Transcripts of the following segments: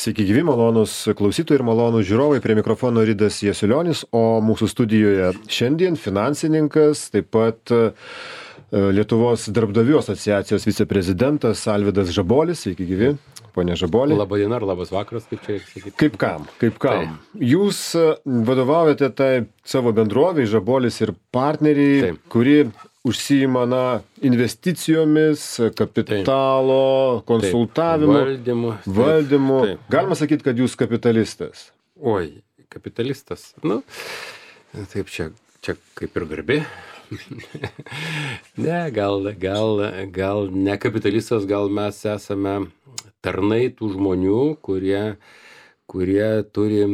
Sveiki gyvi, malonus klausytojai ir malonus žiūrovai, prie mikrofono Ridas Jasiulionis, o mūsų studijoje šiandien finansininkas, taip pat Lietuvos darbdavių asociacijos viceprezidentas Alvydas Žabolis. Sveiki gyvi, ponė Žaboli. Labą dieną ar labas vakaras, kaip čia sakyti. Kaip kam? Jūs vadovaujate tai savo bendrovei, Žabolis ir partneriai, kuri užsiima investicijomis, kapitalo, konsultavimu, valdymu. Galima sakyti, kad jūs kapitalistas. Oi, kapitalistas. Taip, čia kaip ir garbė. Ne, gal ne kapitalistas, gal mes esame tarnai tų žmonių, kurie turi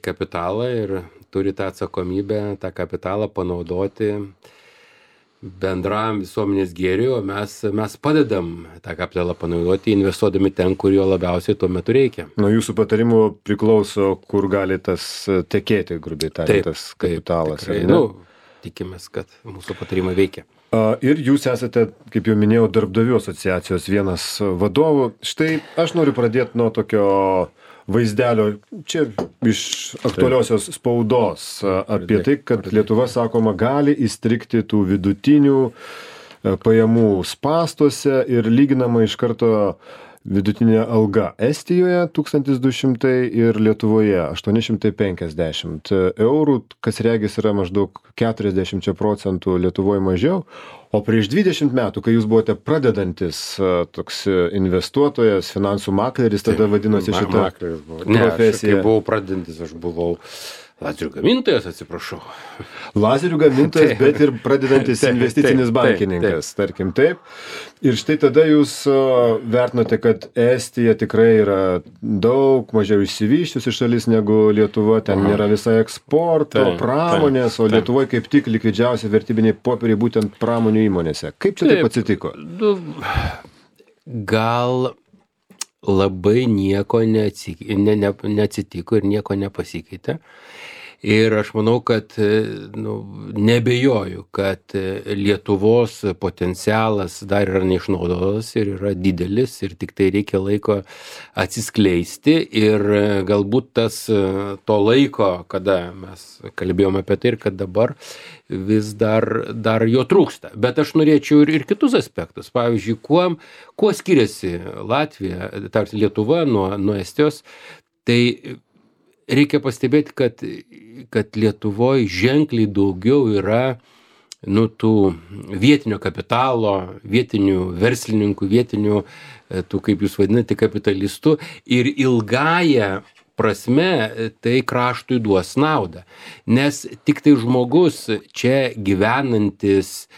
kapitalą ir turi tą atsakomybę, tą kapitalą panaudoti bendram visuomenės gėriui, o mes padedam tą kapitalą panaudoti, investuodami ten, kur jo labiausiai tuo metu reikia. Nuo jūsų patarimų priklauso, kur gali tas tekėti, grubiai tariant, tas kapitalas. Tikimės, kad mūsų patarimai veikia. Ir jūs esate, kaip jau minėjau, darbdavių asociacijos vienas vadovų. Štai aš noriu pradėti nuo tokio vaizdelio, čia iš aktualiosios spaudos, apie tai, kad Lietuva, sakoma, gali įstrigti tų vidutinių pajamų spąstuose ir lyginama iš karto vidutinė alga Estijoje 1200 ir Lietuvoje 850 eurų, kas regis yra maždaug 40% Lietuvoje mažiau. O prieš 20 metų, kai jūs buvote pradedantis toks investuotojas, finansų makleris, tada vadinosi šitą profesiją. Ne, kai buvau pradedantis, aš buvau lazerių gamintojas, atsiprašau. Lazerių gamintojas, bet ir pradedantis investicinis bankininkas, tarkim taip. Ir štai tada jūs vertinote, kad Estija tikrai yra daug mažiau išsivysčiusi šalis negu Lietuva, ten nėra visai eksporto, pramonės, o Lietuvoje kaip tik likvidžiausi vertybiniai popieriai būtent pramonių įmonėse. Kaip čia taip atsitiko? Gal labai nieko neatsitiko ir nieko nepasikeitė. Ir aš manau, kad nebejoju, kad Lietuvos potencialas dar yra neišnaudotas ir yra didelis ir tik tai reikia laiko atsiskleisti ir galbūt to laiko, kada mes kalbėjome apie tai ir kad dabar vis dar jo trūksta. Bet aš norėčiau ir kitus aspektus. Pavyzdžiui, kuo skiriasi Latvija, Lietuva nuo Estijos, tai reikia pastebėti, kad Lietuvoje ženkliai daugiau yra tų vietinio kapitalo, vietinių verslininkų, vietinių, kaip jūs vadinate, kapitalistų ir ilgąją prasme tai kraštui duos naudą. Nes tik tai žmogus čia gyvenantis,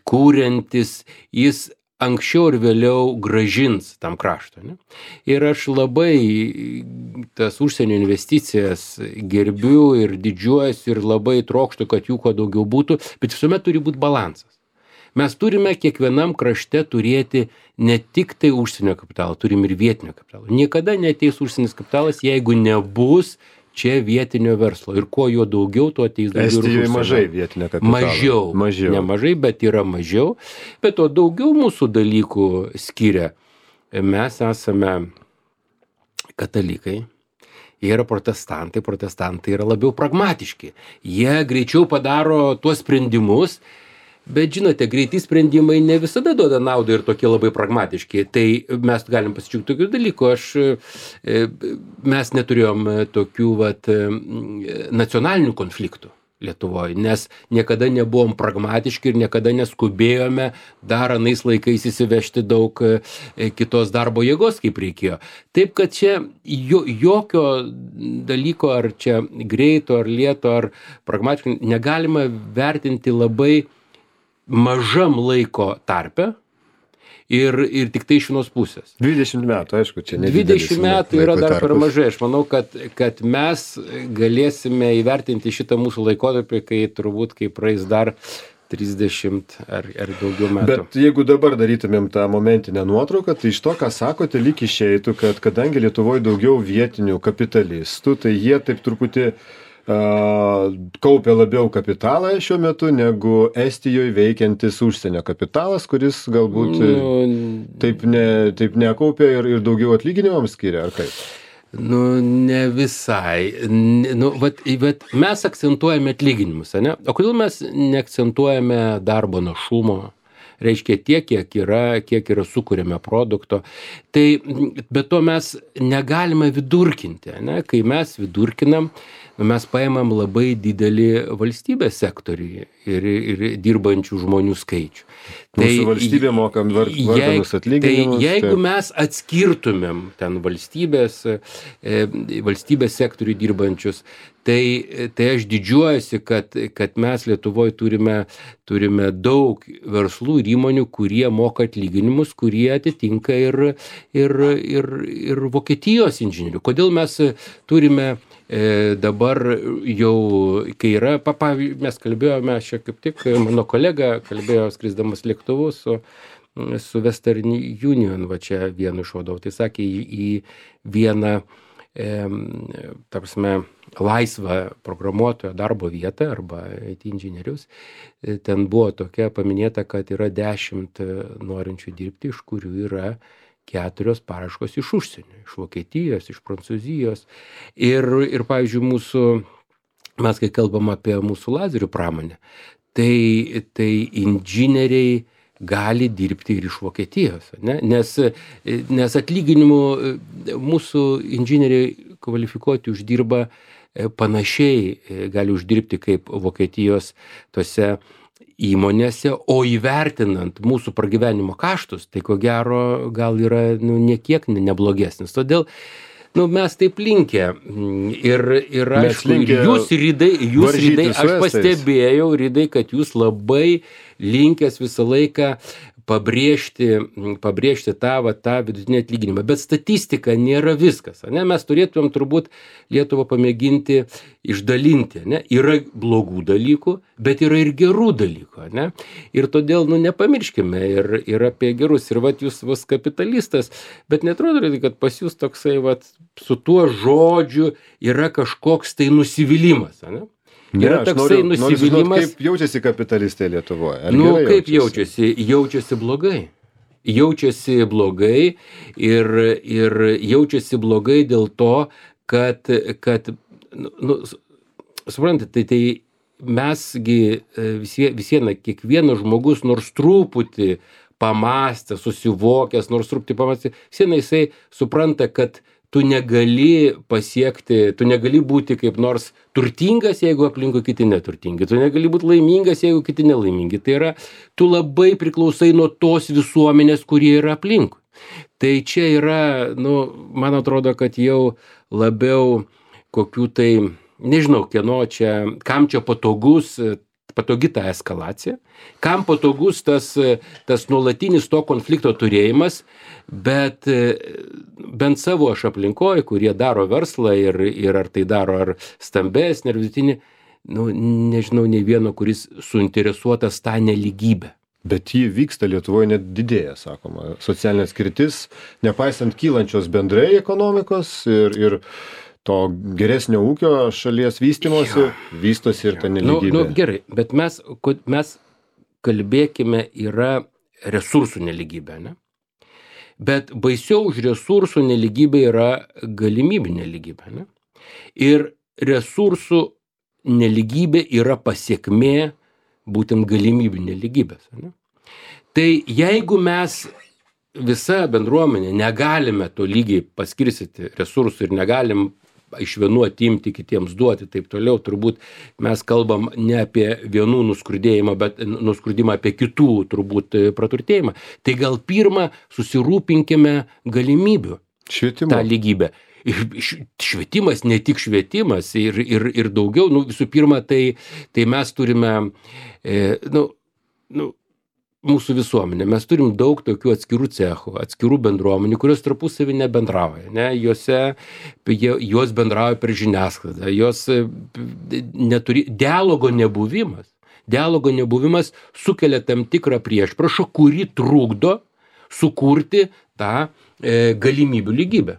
kūriantis, jis anksčiau ir vėliau gražins tam kraštui. Ir aš labai tas užsienio investicijas gerbiu ir didžiuojuosi ir labai trokštu, kad jų kuo daugiau būtų, bet visuomet turi būti balansas. Mes turime kiekvienam krašte turėti ne tik tai užsienio kapitalą, turim ir vietinio kapitalo. Niekada neateis užsienis kapitalas, jeigu nebus čia vietinio verslo. Ir kuo jo daugiau, tuo ateis daugiau. Estijoje mažai vietinio kapitalo. Mažiau. Nemažai, bet yra mažiau. Bet to daugiau mūsų dalykų skiria. Mes esame katalikai. Jie yra protestantai. Protestantai yra labiau pragmatiški. Jie greičiau padaro tuos sprendimus. Bet žinote, greiti sprendimai ne visada duoda naudą ir tokie labai pragmatiški. Tai mes galim pasidžiaugti tokių dalykų. Mes neturėjom tokių nacionalinių konfliktų Lietuvoje, nes niekada nebuvom pragmatiški ir niekada neskubėjome dar anais laikais įsivežti daug kitos darbo jėgos, kaip reikėjo. Taip, kad čia jokio dalyko, ar čia greito, ar lėto, ar pragmatiškai, negalima vertinti labai mažam laiko tarpe ir tik tai iš vienos pusės. 20 metų, aišku, čia nedidelis. 20 metų yra dar per mažai. Aš manau, kad mes galėsime įvertinti šitą mūsų laikotarpį, kai praeis dar 30 ar daugiau metų. Bet jeigu dabar darytumėm tą momentinę nuotrauką, tai iš to, ką sakote, lyg išeitų, kad kadangi Lietuvoje daugiau vietinių kapitalistų, tai jie taip truputį kaupia labiau kapitalą šiuo metu negu Estijoje veikiantis užsienio kapitalas, kuris galbūt taip nekaupia ir daugiau atlyginimams skiria, ar kaip? Nu, ne visai. Nu, vat mes akcentuojame atlyginimus, ne? O kodėl mes neakcentuojame darbo našumo? Reiškia tiek, kiek yra sukūrėme produkto. Tai, bet to mes negalime vidurkinti, ne? Kai mes vidurkinam, mes paimam labai didelį valstybės sektorių ir dirbančių žmonių skaičių. Mūsų valstybė mokam varganus atlyginimus. Tai jeigu mes atskirtumėm ten valstybės sektorių dirbančius, tai aš didžiuojuosi, kad mes Lietuvoje turime daug verslų ir įmonių, kurie moka atlyginimus, kurie atitinka ir Vokietijos inžinierių. Kodėl mes turime dabar jau, kai yra, pavyzdžiui, mes kalbėjome, čia kaip tik mano kolega kalbėjo skrisdamas lėktuvu su Western Union, va čia vienu iš vadovų, tai sakė į vieną, ta prasme, laisvą programuotojo darbo vietą arba IT inžinierius, ten buvo tokia paminėta, kad yra 10 norinčių dirbti, iš kurių yra 4 paraiškos iš užsienio, iš Vokietijos, iš Prancūzijos. Ir pavyzdžiui, mes kai kalbam apie mūsų lazerių pramonę, tai inžinieriai gali dirbti ir iš Vokietijos, ne? Nes atlyginimų mūsų inžinieriai kvalifikuoti uždirba panašiai, gali uždirbti kaip Vokietijos tose įmonėse, o įvertinant mūsų pragyvenimo kaštus, tai ko gero gal yra niekiek neblogesnis. Todėl mes taip linkę ir aišku, jūs Rydai, aš pastebėjau, Rydai, kad jūs labai linkęs visą laiką pabrėžti tą vidutinį atlyginimą. Bet statistika nėra viskas. Ne? Mes turėtumėm turbūt Lietuvą pamėginti išdalinti. Ne? Yra blogų dalykų, bet yra ir gerų dalykų. Ne? Ir todėl nepamirškime ir apie gerus. Ir jūs vos kapitalistas, bet netrodo, kad pas jūs toksai su tuo žodžiu yra kažkoks tai nusivylimas. Ne? Yra toksai nusivylimas. Kaip jaučiasi kapitalistai Lietuvoje? Kaip jaučiasi? Jaučiasi blogai. Jaučiasi blogai ir jaučiasi blogai dėl to, kad suprantate, tai mesgi kiekvienas žmogus nors truputį pamastė, susivokęs, nors truputį pamastė, jisai supranta, kad tu negali būti kaip nors turtingas, jeigu aplinkui kiti neturtingi. Tu negali būti laimingas, jeigu kiti nelaimingi. Tai yra, tu labai priklausai nuo tos visuomenės, kurie yra aplinkui. Tai čia yra, man atrodo, kad jau labiau kokių tai, nežinau, kam čia patogi ta eskalacija, kam patogus tas nuolatinis to konflikto turėjimas, bet bent savo aš aplinkoje, kurie daro verslą ir ar tai daro ar stambesnį, ar vidutinį, nežinau, nei vieno, kuris suinteresuotas tą nelygybę. Bet ji vyksta Lietuvoje, net didėja, sakoma. Socialinė atskirtis, nepaisant kylančios bendrai ekonomikos ir to geresnio ūkio šalies vystymosi, vystosi ir ta nelygybė. Gerai, bet mes kalbėkime, yra resursų nelygybė, ne? Bet baisiau už resursų nelygybė yra galimybių nelygybė, ne? Ir resursų nelygybė yra pasiekmė būtent galimybių nelygybės, ne? Tai jeigu mes visa bendruomenė negalime to lygiai paskirstyti resursų ir negalim iš vienų atimti, kitiems duoti, taip toliau, turbūt mes kalbam ne apie vienų nuskurdėjimą, bet nuskurdimą apie kitų turbūt praturtėjimą. Tai gal pirmą susirūpinkime galimybių tą lygybę. Švietimas, ne tik švietimas ir daugiau, visų pirma, tai mes turime, mūsų visuomenė, mes turim daug tokių atskirų cechų, atskirų bendruomenių, kurios tarpusavį nebendrauja, ne? Jos bendrauja per žiniasklaidą, jos neturi, dialogo nebuvimas sukelia tam tikrą priešpriešą, kuri trukdo sukurti tą galimybių lygybę.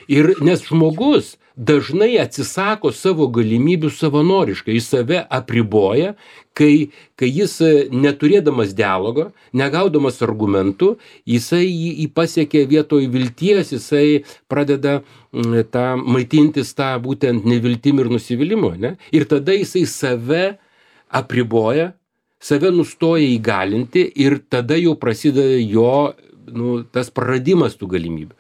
Ir nes žmogus dažnai atsisako savo galimybių savanoriškai, jis save apriboja, kai jis neturėdamas dialogo, negaudamas argumentų, jisai pasiekia vietoj vilties, jisai pradeda maitintis tą būtent neviltim ir nusivylimu, ne? Ir tada jisai save apriboja, save nustoja įgalinti ir tada jau prasideda jo tas praradimas tų galimybių.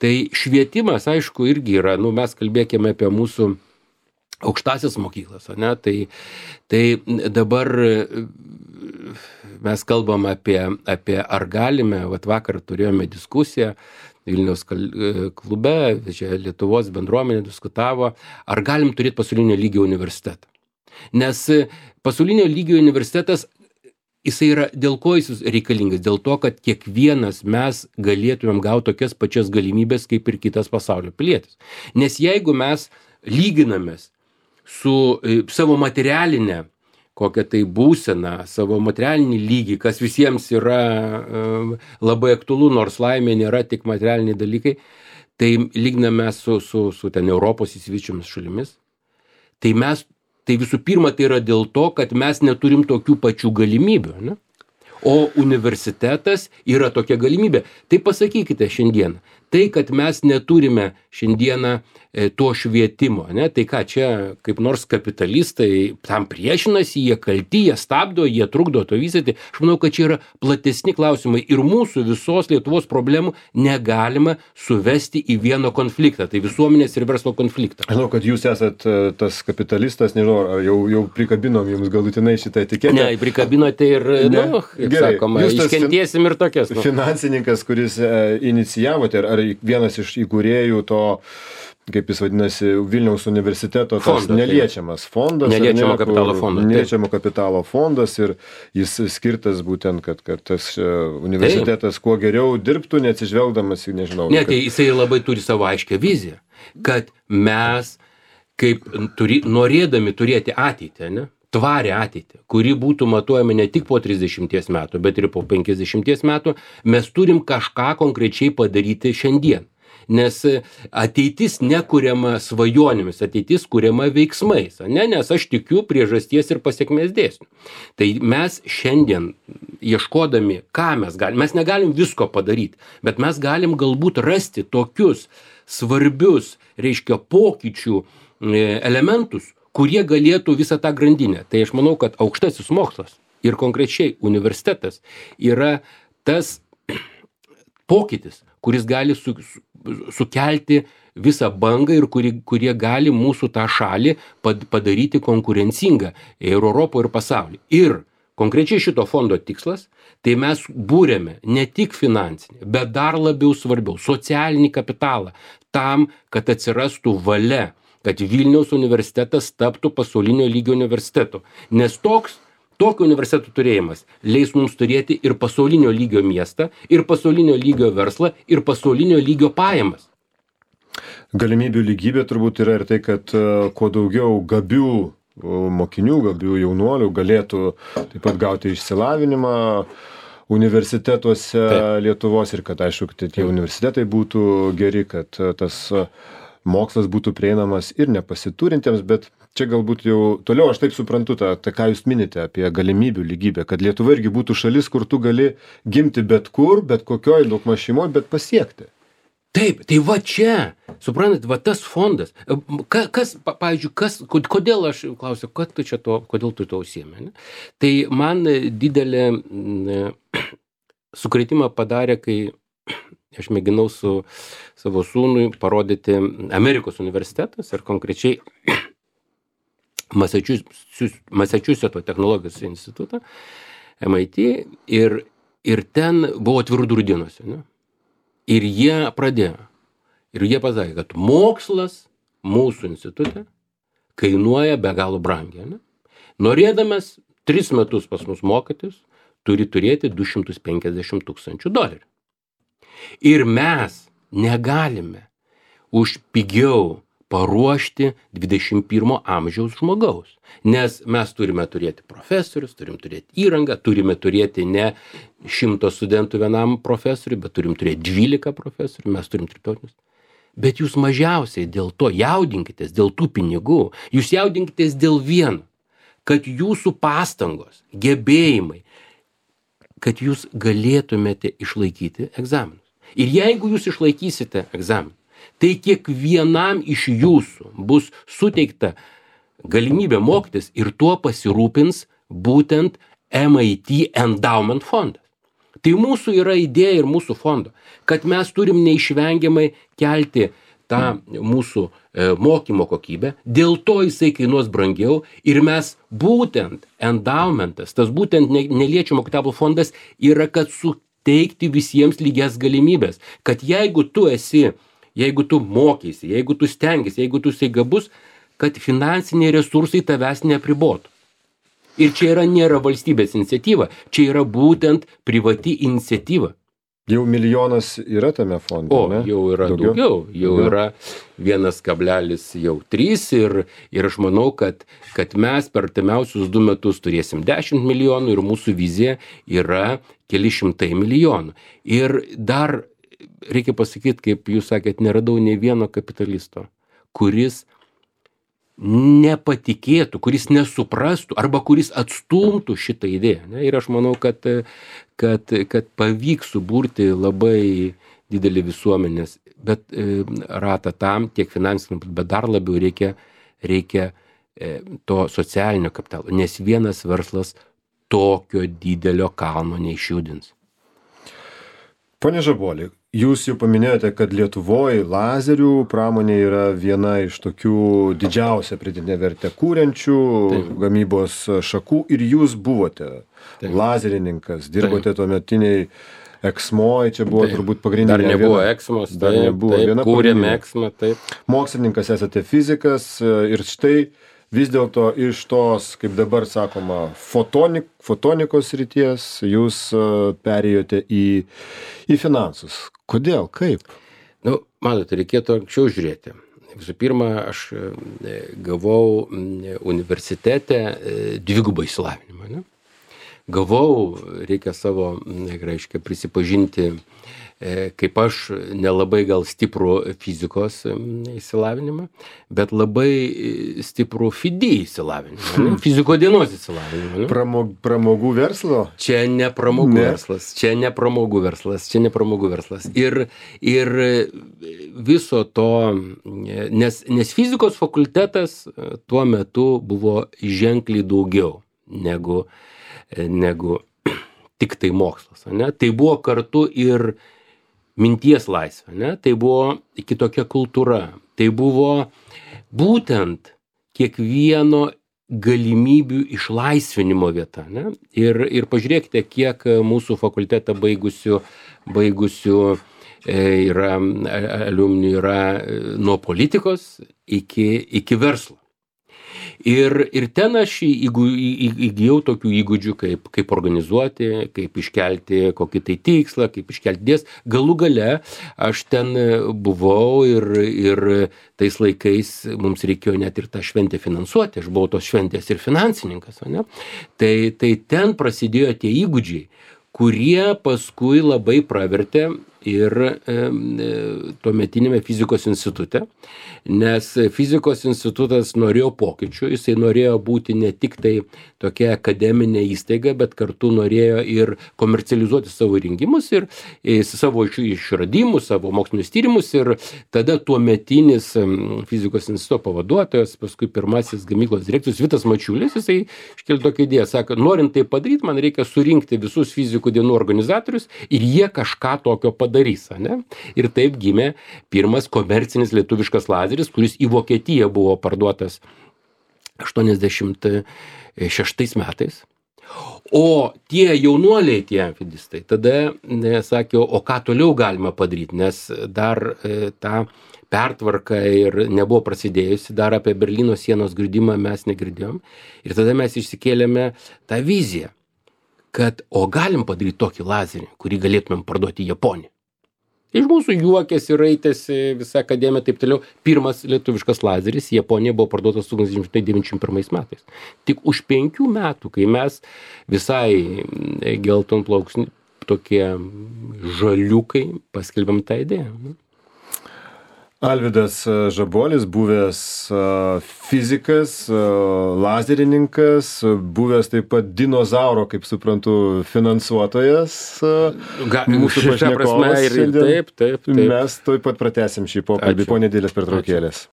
Tai švietimas, aišku, irgi yra, mes kalbėkime apie mūsų aukštasias mokyklas, ne? Tai dabar mes kalbam apie ar galime, vakar turėjome diskusiją Vilniaus klube, čia Lietuvos bendruomenė diskutavo, ar galim turėti pasaulinio lygio universitetą. Nes pasaulinio lygio universitetas, jisai yra, dėl ko jis reikalingas? Dėl to, kad kiekvienas mes galėtumėm gauti tokias pačias galimybės, kaip ir kitas pasaulio pilietis. Nes jeigu mes lyginamės su savo materialinė, kokią tai būseną, savo materialinį lygį, kas visiems yra labai aktualu, nors laimė nėra tik materialiniai dalykai, tai lyginame su ten Europos įsivyčiomis šalimis, tai visų pirma, tai yra dėl to, kad mes neturim tokių pačių galimybių, ne? O universitetas yra tokia galimybė. Tai pasakykite šiandien, tai, kad mes neturime šiandieną to švietimo, ne? Tai ką čia, kaip nors kapitalistai tam priešinasi, jie kalti, jie stabdo, jie trukdo to vystyti. Aš manau, kad čia yra platesni klausimai ir mūsų visos Lietuvos problemų negalima suvesti į vieną konfliktą, tai visuomenės ir verslo konfliktą. Žinau, kad jūs esat tas kapitalistas, nežinau, ar jau prikabinom jums galutinai šitą etiketę. Ne, prikabinote ir, kaip sakoma, iškentiesim ir tokias. Finansininkas, kuris inicijavote, ar vienas iš įkūrėjų to, kaip jis vadinasi, Vilniaus universiteto tas neliečiamas fondas. Neliečiamo kapitalo fondas. Neliečiamo kapitalo fondas ir jis skirtas būtent, kad tas universitetas kuo geriau dirbtų, neatsižvelgdamas į, nežinau. Ne, tai jisai labai turi savo aiškę viziją, kad mes, kaip norėdami turėti ateitį, ne? Tvarę ateitį, kuri būtų matuojama ne tik po 30 metų, bet ir po 50 metų, mes turim kažką konkrečiai padaryti šiandien. Nes ateitis nekuriama svajonėmis, ateitis kuriama veiksmais, ne? Nes aš tikiu priežasties ir pasiekmės dėsnių. Tai mes šiandien ieškodami, ką mes negalim visko padaryti, bet mes galim galbūt rasti tokius svarbius, reiškia, pokyčių elementus, kurie galėtų visą tą grandinę. Tai aš manau, kad aukštasis mokslas ir konkrečiai universitetas yra tas pokytis, kuris gali sukelti visą bangą ir kurie gali mūsų tą šalį padaryti konkurencingą ir Europoje, ir pasaulyje. Ir konkrečiai šito fondo tikslas, tai mes būrėme ne tik finansinį, bet dar labiau svarbiau socialinį kapitalą tam, kad atsirastų valia, kad Vilniaus universitetas taptų pasaulinio lygio universitetu. Nes tokio universiteto turėjimas leis mums turėti ir pasaulinio lygio miestą, ir pasaulinio lygio verslą, ir pasaulinio lygio pajamas. Galimybių lygybė turbūt yra ir tai, kad kuo daugiau gabių mokinių, gabių jaunuolių galėtų taip pat gauti išsilavinimą universitetuose Lietuvos ir kad, aišku, tie universitetai būtų geri, kad tas mokslas būtų prieinamas ir nepasiturintiems, bet čia galbūt jau toliau aš taip suprantu tą ką jūs minite apie galimybių lygybę, kad Lietuva irgi būtų šalis, kur tu gali gimti bet kur, bet kokioj daugmaž šeimoj, bet pasiekti. Taip, tai va čia, suprantat, va tas fondas, pavyzdžiui, kodėl aš klausiu, kodėl tu to užsiėmė, ne? Tai man didelė sukrėtimą padarė, kai aš mėginau su savo sūnui parodyti Amerikos universitetas ir konkrečiai Massachusetto technologijos institutą, MIT, ir ten buvo atvirų durų dienos, ne? Ir jie pradėjo. Ir jie pasakė, kad mokslas mūsų institute kainuoja be galo brangiai, ne? Norėdamas 3 metus pas mus mokytis, turi turėti $250,000. Ir mes negalime už pigiau paruošti 21 amžiaus žmogaus. Nes mes turime turėti profesorius, turim turėti įrangą, turime turėti ne 100 studentų vienam profesoriui, bet turim turėti 12 profesorių, mes turim tarptautinius. Bet jūs mažiausiai dėl to jaudinkitės, dėl tų pinigų. Jūs jaudinkitės dėl vieno, kad jūsų pastangos, gebėjimai, kad jūs galėtumėte išlaikyti egzaminus. Ir jeigu jūs išlaikysite egzaminą, tai kiekvienam iš jūsų bus suteikta galimybė mokytis ir tuo pasirūpins būtent MIT Endowment fondas. Tai mūsų yra idėja ir mūsų fondo, kad mes turim neišvengiamai kelti tą mūsų mokymo kokybę, dėl to jisai kainuos brangiau ir mes būtent endowmentas, tas būtent neliečiamo kapitalo fondas yra, kad suteikti visiems lygias galimybės, kad jeigu tu mokysi, jeigu tu stengiasi, jeigu tu esi gabus, kad finansiniai resursai tavęs neapribotų. Ir čia nėra valstybės iniciatyva, čia yra būtent privati iniciatyva. Jau milijonas yra tame fonde, ne? Jau yra daugiau. Jau yra 1,3 ir aš manau, kad mes per artimiausius 2 metus turėsim 10 milijonų ir mūsų vizija yra keli šimtai milijonų. Ir dar reikia pasakyti, kaip jūs sakėt, neradau nei vieno kapitalisto, kuris nepatikėtų, kuris nesuprastų arba kuris atstumtų šitą idėją. Ne? Ir aš manau, kad pavyks suburti labai didelį visuomenės, bet ratą tam, tiek finansiniam, bet dar labiau reikia to socialinio kapitalo, nes vienas verslas tokio didelio kalno neišjudins. Pone Žaboli, jūs jau paminėjote, kad Lietuvoje lazerių pramonė yra viena iš tokių didžiausią pridėtinę vertę kūrenčių gamybos šakų ir jūs buvote lazerininkas, dirbote tuometiniai Eksmoj, čia buvo turbūt pagrindinė. Dar nebuvo Eksmos, kūrėme Eksmą, taip. Mokslininkas esate fizikas ir štai vis dėlto iš tos, kaip dabar sakoma, fotonikos srities jūs perėjote į finansus. Kodėl? Kaip? Matote, reikėtų anksčiau žiūrėti. Visų pirma, aš gavau universitete dvigubą išsilavinimą. Ne? Gavau, reikia savo, prisipažinti, kaip aš nelabai gal stiprų fizikos įsilavinimą, bet labai stiprų FIDI įsilavinimą, fiziko dienos įsilavinimą. Pramogų verslo? Čia ne pramogų verslas. Ir viso to, nes fizikos fakultetas tuo metu buvo ženkliai daugiau negu tik tai mokslas. Ne? Tai buvo kartu ir minties laisvė, ne? Tai buvo kitokia kultūra, tai buvo būtent kiekvieno galimybibių išlaisvinimo vieta. Ne? Ir pažiūrėkite, kiek mūsų fakultetą baigusių yra aliumnių yra nuo politikos iki verslo. Ir ten aš įgijau tokių įgūdžių, kaip organizuoti, kaip iškelti kokį tai tikslą, kaip iškelti dės. Galų gale aš ten buvau ir tais laikais mums reikėjo net ir tą šventę finansuoti. Aš buvau tos šventės ir finansininkas. Ne? Tai ten prasidėjo tie įgūdžiai, kurie paskui labai pravertė ir tuometinėme fizikos institute, nes fizikos institutas norėjo pokyčių, jisai norėjo būti ne tik tai tokia akademinė įstaiga, bet kartu norėjo ir komercializuoti savo įrengimus ir savo išradimus, savo mokslinius tyrimus ir tada tuometinis fizikos instituto pavaduotojas, paskui pirmasis gamyklos direktorius Vitas Mačiulis, jisai iškėlė tokią idėją, sako, norint tai padaryti, man reikia surinkti visus fizikų dienų organizatorius ir jie kažką tokio padarys. Ne? Ir taip gimė pirmas komercinis lietuviškas lazeris, kuris į Vokietiją buvo parduotas 86 metais. O tie jaunuoliai, tie fidistai, tada sakė, o ką toliau galima padaryti, nes dar ta pertvarka ir nebuvo prasidėjusi, dar apie Berlyno sienos griudimą mes negirdėjom. Ir tada mes išsikėlėme tą viziją, kad o galim padaryti tokį lazerį, kurį galėtumėm parduoti Japoniją. Iš mūsų juokėsi, raitėsi visa akademija, taip toliau. Pirmas lietuviškas lazeris Japonija buvo parduotas 1991 metais. Tik už 5 metų, kai mes visai geltonplauksni, tokie žaliukai, paskelbėm tą idėją. Alvydas Žabolis, buvęs fizikas, lazerininkas, buvęs taip pat dinozauro, kaip suprantu, finansuotojas. Mūsų pašnekovas šiandien. Taip. Mes taip pat pratęsim šį pokalbį po nedėlės pertraukėlės.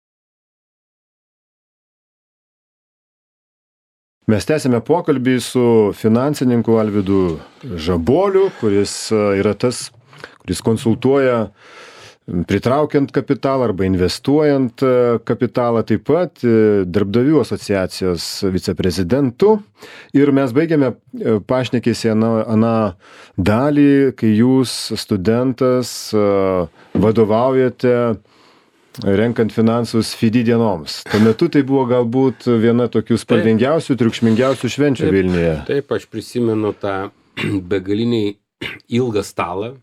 Mes tęsime pokalbį su finansininku Alvydu Žaboliu, kuris yra tas, kuris konsultuoja pritraukiant kapitalą arba investuojant kapitalą, taip pat darbdavių asociacijos viceprezidentu. Ir mes baigėme pašnekėsi aną dalį, kai jūs, studentas, vadovaujate renkant finansus FIDI dienoms. Tuo metu tai buvo galbūt viena tokių spalvingiausių, triukšmingiausių švenčių Vilniuje. Taip, aš prisimenu tą begaliniai ilgą stalą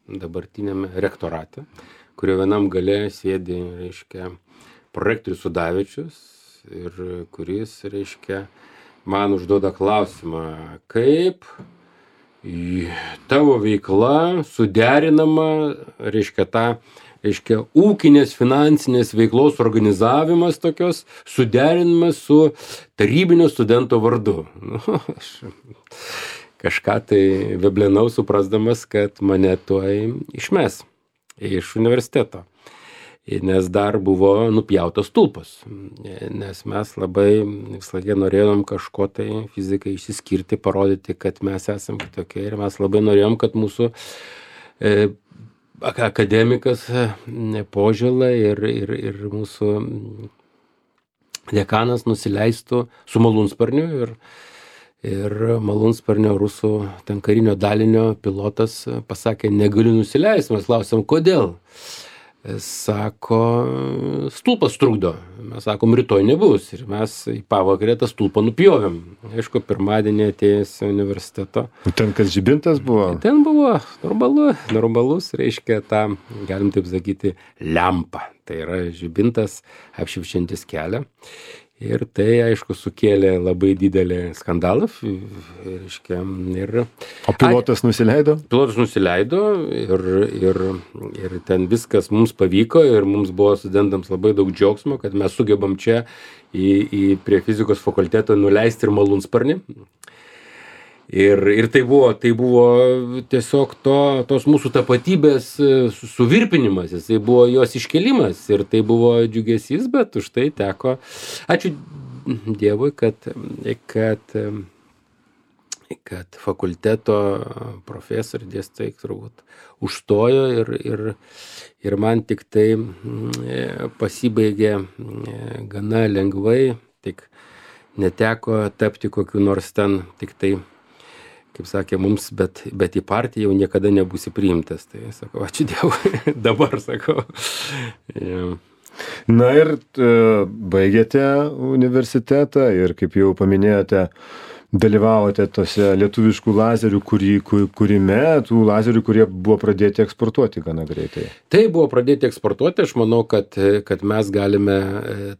dabartiniame rektorate, kurio vienam gale sėdi, reiškia, prorektorius Sudavičius ir kuris, reiškia, man užduoda klausimą, kaip tavo veikla suderinama, reiškia, ūkinės finansinės veiklos organizavimas tokios suderinimas su tarybinio studento vardu. Aš kažką tai veblenau suprasdamas, kad mane tuoj išmes iš universiteto. Nes dar buvo nupjautas stulpas. Nes mes labai visą laiką norėjom kažko tai fizikai išsiskirti, parodyti, kad mes esam kitokie. Ir mes labai norėjom, kad mūsų akademikas Požėla ir mūsų dekanas nusileistų su malūnsparniu ir malūnsparnio rusų ten karinio dalinio pilotas pasakė, negaliu nusileisti. Mes klausėm, kodėl? Sako, stulpas trukdo. Mes sakom, rytoj nebus. Ir mes į pavakarę tą stulpą nupjovėm. Aišku, pirmadienį atėjęs į universiteto. Ten kas žibintas buvo? Ten buvo normalus, reiškia tą, galim taip sakyti, lempą. Tai yra žibintas apšviečiantis kelią. Ir tai, aišku, sukėlė labai didelį skandalą. Reiškia, O pilotas nusileido? Pilotas nusileido ir ten viskas mums pavyko ir mums buvo studentams labai daug džiaugsmo, kad mes sugebam čia prie fizikos fakulteto nuleisti ir malūnsparnį. Ir tai buvo tiesiog tos mūsų tapatybės suvirpinimas, jisai buvo jos iškelimas ir tai buvo džiugesys, bet už tai teko, ačiū Dievui, kad fakulteto profesoriai dėstytojai turbūt užstojo ir man tik tai pasibaigė gana lengvai, tik neteko tapti kokiu nors ten tik tai, kaip sakė mums, bet į partiją jau niekada nebūsi priimtas. Tai sakau, ačiū Dievui, dabar sakau. Ja. Na ir baigėte universitetą ir, kaip jau paminėjote, dalyvavote tose lietuviškų lazerių kūrime, tų lazerių, kurie buvo pradėti eksportuoti gana greitai. Tai buvo pradėti eksportuoti, aš manau, kad mes galime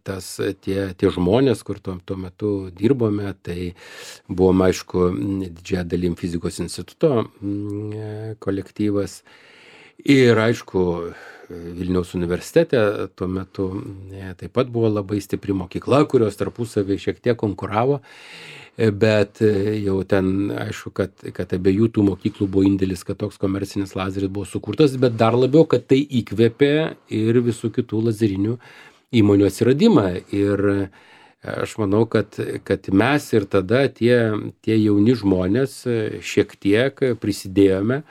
tie žmonės, kur tuo metu dirbome, tai buvom, aišku, didžiąją dalim fizikos instituto kolektyvas ir, aišku, Vilniaus universitete tuo metu taip pat buvo labai stipri mokykla, kurios tarpusavį šiek tiek konkuravo. Bet jau ten, aišku, kad abiejų tų mokyklų buvo indėlis, kad toks komercinis lazeris buvo sukurtas, bet dar labiau, kad tai įkvėpė ir visų kitų lazerinių įmonių atsiradimą. Ir aš manau, kad mes ir tada tie jauni žmonės šiek tiek prisidėjome,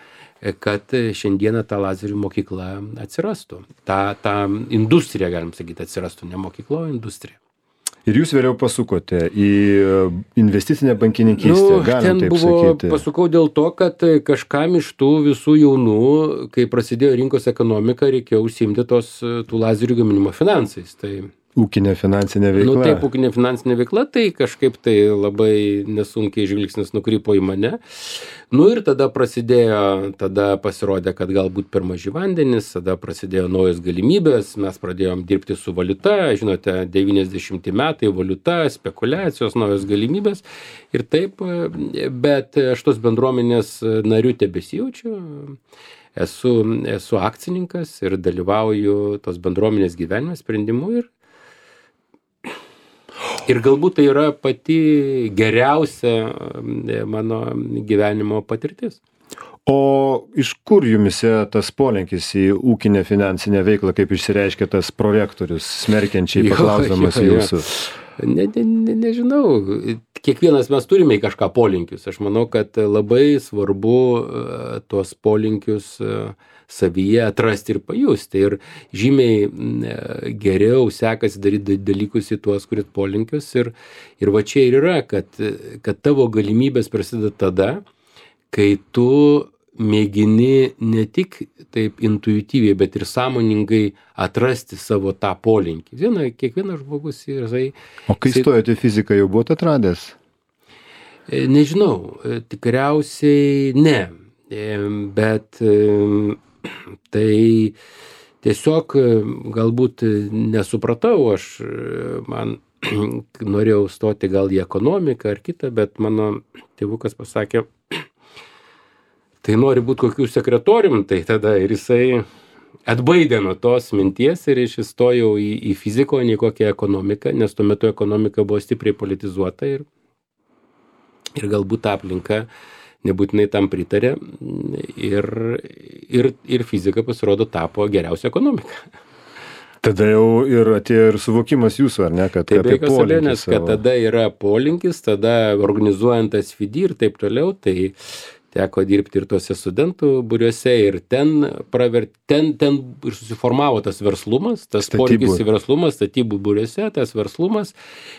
kad šiandieną ta lazerių mokykla atsirastų. Ta industrija, galim sakyti, atsirastų, ne mokykla, o industrija. Ir jūs vėliau pasukote į investicinę bankininkystę, galim taip sakyti. Pasukau dėl to, kad kažkam iš tų visų jaunų, kai prasidėjo rinkos ekonomika, reikėjo užsiimti tų lazerių gaminimo finansais. Tai ūkinė finansinė veikla. Taip, ūkinė finansinė veikla, tai kažkaip tai labai nesunkiai žvilgsnis nukrypo į mane. Ir tada pasirodė, kad galbūt per maži vandenys, tada prasidėjo naujos galimybės, mes pradėjom dirbti su valiuta, žinote, 90 metai, valiuta, spekulacijos, naujos galimybės ir taip, bet aš tos bendruomenės narių tebesijaučiu. esu akcininkas ir dalyvauju tos bendruomenės gyvenime sprendimu ir galbūt tai yra pati geriausia mano gyvenimo patirtis. O iš kur jumise tas polinkis į ūkinę finansinę veiklą, kaip išsireiškia tas prorektorius, smerkiančiai paklausdamas jūsų? Nežinau, kiekvienas mes turime į kažką polinkius. Aš manau, kad labai svarbu tuos polinkius savyje atrasti ir pajusti. Ir žymiai geriau sekasi daryti dalykus į tuos, kurit polinkius. Ir va čia ir yra, kad tavo galimybės prasideda tada, kai tu mėgini ne tik taip intuityviai, bet ir sąmoningai atrasti savo tą polinkį. Kiekvienas žmogus yra. O kai stojote į fiziką, jau buvote atradęs? Nežinau, tikriausiai ne. Bet tai tiesiog galbūt nesupratau, man norėjau stoti gal į ekonomiką ar kitą, bet mano tėvukas pasakė, tai nori būti kokių sekretorium, tai tada ir jisai atbaidė nuo tos minties ir įstojau į fiziką, o ne kokią ekonomiką, nes tuo metu ekonomika buvo stipriai politizuota ir galbūt ta aplinka nebūtinai tam pritarė ir fizika pasirodo tapo geriausia ekonomika. Tada jau ir atėjo ir suvokimas jūsų, ar ne, kad tai apie polinkį savo. Kad tada yra polinkis, tada organizuojant SFD ir taip toliau, tai teko dirbti ir tuose studentų būriuose ir ten ir susiformavo tas verslumas, tas polinkis į verslumas, statybų būriuose, tas verslumas,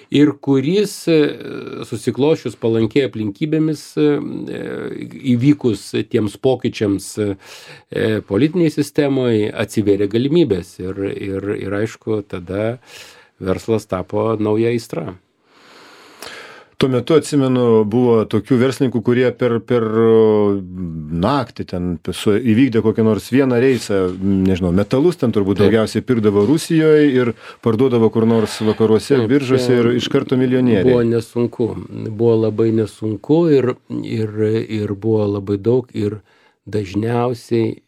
ir kuris susiklošius palankiai aplinkybėmis įvykus tiems pokyčiams politiniai sistemoje atsivėrė galimybės ir aišku, tada verslas tapo nauja aistra. Tuo metu, atsimenu, buvo tokių verslininkų, kurie per naktį ten įvykdė kokią nors vieną reisą, nežinau, metalus ten turbūt daugiausiai pirkdavo Rusijoje ir parduodavo kur nors vakaruose, biržose ir iš karto milijonieriai. Buvo nesunku, buvo labai nesunku ir buvo labai daug ir dažniausiai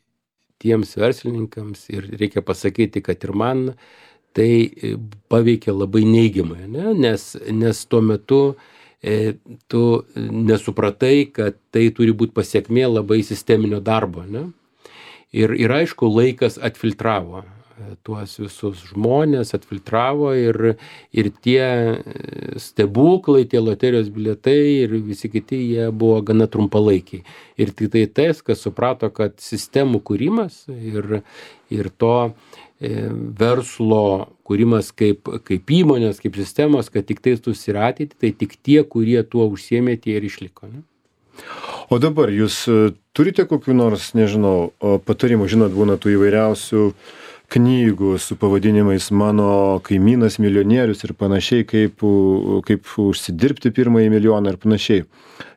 tiems verslininkams, ir reikia pasakyti, kad ir man, tai paveikė labai neigiamai, nes tuo metu tu nesupratai, kad tai turi būti pasiekmė labai sisteminio darbo. Ir aišku, laikas atfiltravo tuos visus žmonės, atfiltravo ir tie stebuklai, tie loterijos bilietai ir visi kiti, jie buvo gana trumpalaikiai. Ir tik tai tas, kas suprato, kad sistemų kūrimas ir to verslo kūrimas kaip įmonės, kaip sistemos, kad tik tai susiratyt, tai tik tie, kurie tuo užsiėmė, tie ir išliko. O dabar jūs turite kokių nors, nežinau, patarimų, žinot, būna tų įvairiausių knygų su pavadinimais Mano kaimynas milijonierius ir panašiai, kaip užsidirbti pirmąjį milijoną ir panašiai.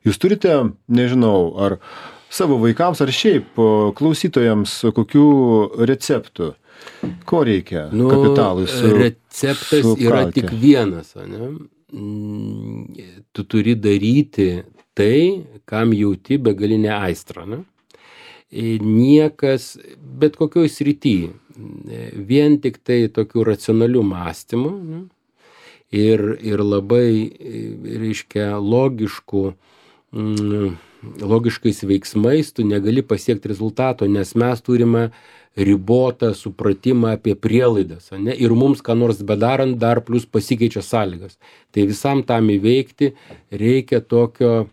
Jūs turite, nežinau, ar savo vaikams, ar šiaip klausytojams kokių receptų? Ko reikia kapitalui receptas yra tik vienas, tu turi daryti tai, kam jauti begalinę aistrą. Niekas, bet kokioj srity, vien tik tai tokių racionalių mąstymų ir labai, reiškia, logiškais veiksmais tu negali pasiekti rezultato, nes mes turime ribotą supratimą apie prielaidas, ir mums ką nors bedarant dar plus pasikeičia sąlygas. Tai visam tam įveikti reikia tokio,